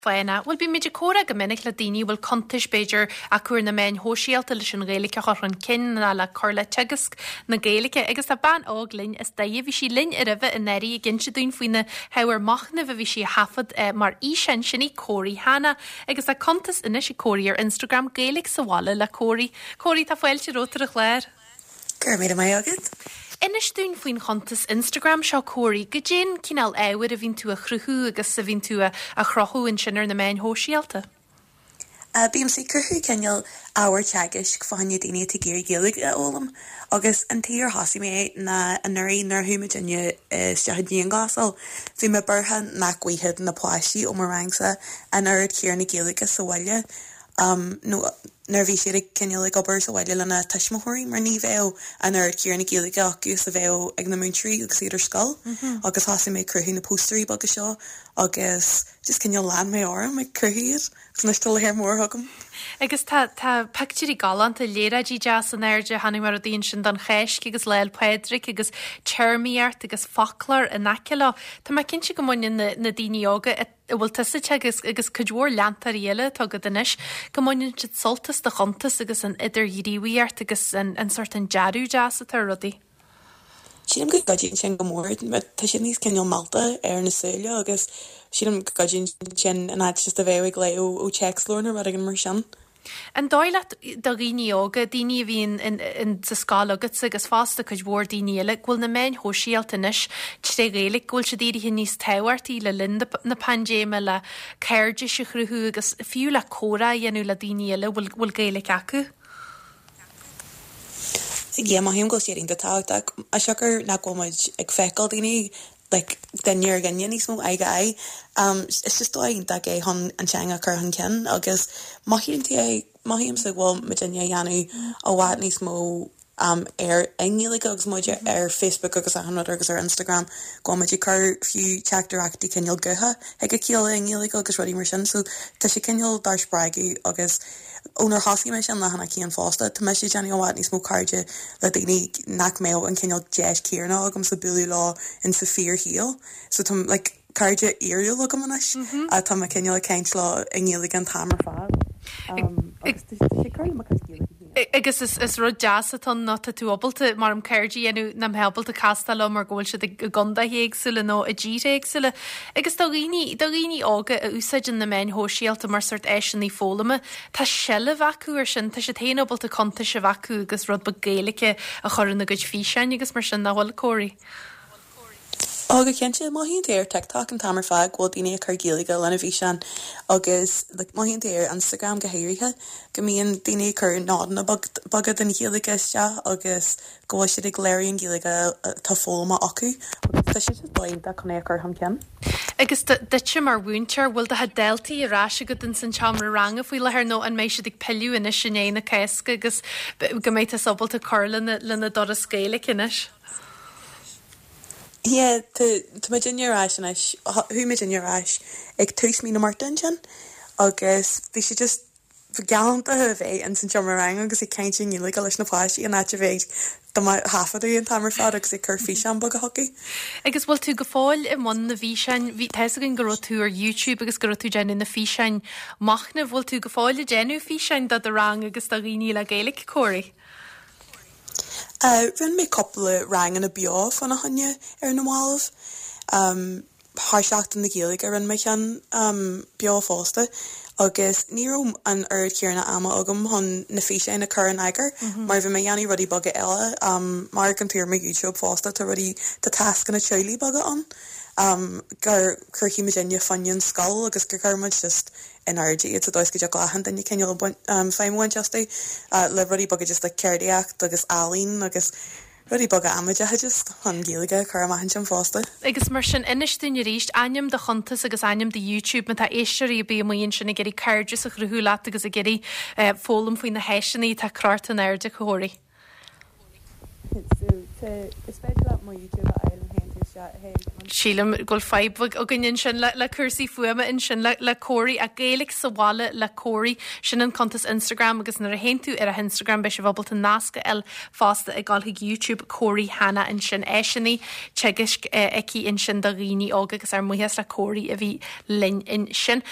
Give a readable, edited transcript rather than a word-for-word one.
Fána. Bhuel, bímid ag comhrá go minic le daoine a bhfuil cuntais, b'fhéidir, acu ar na meáin shóisialta leis an Ghaeilge a chur chun cinn ná le cur le teagasc na Gaeilge. Agus tá bean óg linn as Doire. Bhí sí linn roimhe anuraidh ag inse dúinn faoi na hábhair machnaimh a bhí sí a thaifead mar fhíseán. Sin í Córaí Hanna. Agus tá cuntas anois ag Córaí ar Instagram, Gaeilge sa Bhaile le Córaí. Córaí, tá fáilte romhat ar an chlár. Go raibh míle maith agat. Inis dúinn faoin chuntas Instagram seo, Córaí. Goidé an cineál ábhair a bhíonn tú a chruthú agus a bhíonn tú a chruthú ansin ar na meáin shóisialta? Bímse ag cruthú cineál ábhar teagaisc fá choinne daoine atá ag iarraidh Gaeilge a fhoghlaim agus an tuige ar thosaigh mé é ná anuraidh nuair a chuaigh muidinne isteach i ndianghlasáil bhí mé buartha nach bhfaigheadh na páistí ó mo rangsa an oiread céanna Gaeilge sa bhaile nó nuair a bhí siad ag cineál ag obair sa bhaile lena tuismitheoirí mar ní bheadh an oiread céanna Gaeilge acu is a bheadh ag na múinteoirí agus iad ar scoil agus thosaigh mé ag cruthú na póstaerí beaga seo agus just cineál lean mé orm ag cruthú iad agus anois tá lear mór agam. Agus tá tá pictiúirí galánta, léaráidí deas in airde, chonaic mé rudaí ansin don Cháisc agus Lá 'le Pádraig agus téarmaíocht agus foclóir in aice leo. Tá mé cinnte go mbaineann na na daoine óga a a bhfuil tusa ag teagasc agus cuid mhór leantóirí eile atá agat anois, go mbaineann siad sult as do chuntas agus an idirghníomhaíocht agus an an sórt an dearadh deas atá ar rudaí. Sílim go gcuidíonn sin go mór. Tá siad níos cineál meallta ar na súile agus sílim go gcuidíonn sin in áit just a bheith ag léamh ó téacsleabhar nó rud éigin mar sin. An dóigh leat do dhaoine óga, daoine a bhíonn sa scoil agatsa agus fosta cuid mhór daoine eile, go bhfuil na meáin shóisialta anois tré Ghaeilge, go bhfuil siad éirithe níos tábhachtaí le linn na paindéime le cairdis a chruthú agus fiú le comhrá a dhéanamh le daoine eile a bhfuil Gaeilge acu? Yeah, mothaím go bhfuil siad iontach tábhachtach. Siocair nach bhfuil muid ag feiceáil daoine like duine ar dhuine níos mó, aghaidh go aghaidh. Um, is just dóigh iontach é chun an teanga a chur chun cinn agus mothaíonn tú é, mothaímse go bhfuil muidinne a dhéanamh i bhfad níos mó um, ar i nGaeilge agus muid ar Facebook agus achan rud agus ar Instagram go bhfuil muid ag cur fiú teachtaireachtaí cineál gutha chuig a chéile i nGaeilge agus rudaí mar sin so tá sé cineál dár spreagadh agus Ó nuair thosaigh mé sin leathanach féin fosta, tá mise ag déanamh i bhfad níos mó cairde le daoine nach mbeadh an cineál deis céanna agamsa bualadh leo in sa fíorshaol. So tá like cairde fhíorúil agam anois atá mé cineál ag caint leo i nGaeilge an t-am ar fad. Agus tá sé ag cur le mo chuid Gaeilge féin. Agus is rud deas atá ann ná tá tú ábalta, mar em cairde a dhéanamh nach mbeifeá ábalta castáil leo mar go bhfuil siad i gcontaetha éagsúla nó i dtíortha éagsúla. Agus do dhaoine, do dhaoine óga a úsáideann na meáin shóisialta mar sórt áiseanna foghlama, tá seilbh acu ar sin, tá siad féin ábalta cuntais a bheith acu agus rud beag Gaeilge a chur ina gcuid físeáin agus mar sin, nach bhfuil, Córaí? Ó go cinnte, mothaíonn tú ar TikTok an t-am ar fad go bhfuil daoine ag cur Gaeilge lena bhfíseáin agus like mothaíonn tú ar Instagram go háirithe go mbíonn daoine ag cur nodanna beaga den Ghaeilge isteach agus go bhfuil siad ag léiriú an Ghaeilge atá foghlamtha acu agus tá sé just dóigh iontach chun é a chur chun cinn. Agus duitse mar mhúinteoir, bhfuil do chuid daltaí ar ais agat ins an tseomra ranga faoi láthair nó an mbeidh siad ag pilleadh anois i ndiaidh na Cásca agus go mbeidh tusa ábalta cur lena dturas Gaeilge anois? Yeah, tá tá muidinne ar ais anois, chuaigh muidinne ar ais ag tús mí na Márta ansin agus bhí sé just galánta a bheith ins an seomra ranga agus ag caint i nGaeilge leis na páistí in áit a bheith do mo thaifeadadh an t-am ar fad agus ag cur físeán beaga chucu. Agus bhfuil tú go fóill i mbun na bhfíseáin? Bhí, tá fhios againn go raibh tú ar YouTube agus go raibh tú ag déanamh na físeáin machnaimh. Bhfuil tú go fóill ag déanamh físeáin do do rang agus do dhaoine le Gaeilge, Córaí? Rinne mé cúpla ranganna beo fána choinne ar na mallaibh. Thar Seachtain na Gaeilge rinne mé ceann beo fosta agus ní raibh an oiread céanna ama agam chun na físeáin a chur in eagar mar bhí mé ag déanamh rudaí beaga eile. Mar amharcann tú ar mo YouTube fosta tá rudaí, tá tascanna teaghlaigh beaga ann gur chruthaigh muidinne fá choinne an scoil agus gur chuir muid just in airde iad sa dóigh is go dtiocfadh le achan duine cineál feidhm a bhaint astu le rudaí beaga just like ceardaíocht agus ealaín agus rudaí beaga amaideacha just chun Gaeilge a chur amach ansin fosta. Agus mar sin, inis dúinn arís ainm do chuntas agus ainm do YouTube má tá éisteoirí ar bith amuigh ansin ag iarraidh cairdeas a chruthú leat agus ag iarraidh foghlaim faoi na háiseanna atá crochta in airde, Córaí. Sílim go bhfuil fadhb againn ansin le cúrsaí fuaime ansin le Córaí ach Gaeilge sa bhaile le Córaí. Sin an cuntas Instagram agus nuair a théann tú ar a hInstagram beidh sibh ábalta nasc a fháil fosta ag dul chuig YouTube Córaí Hanna ansin. Áiseanna teagaisc aici ansin do dhaoine óga agus ár mbuíochas le Córaí a bhí linn ansin.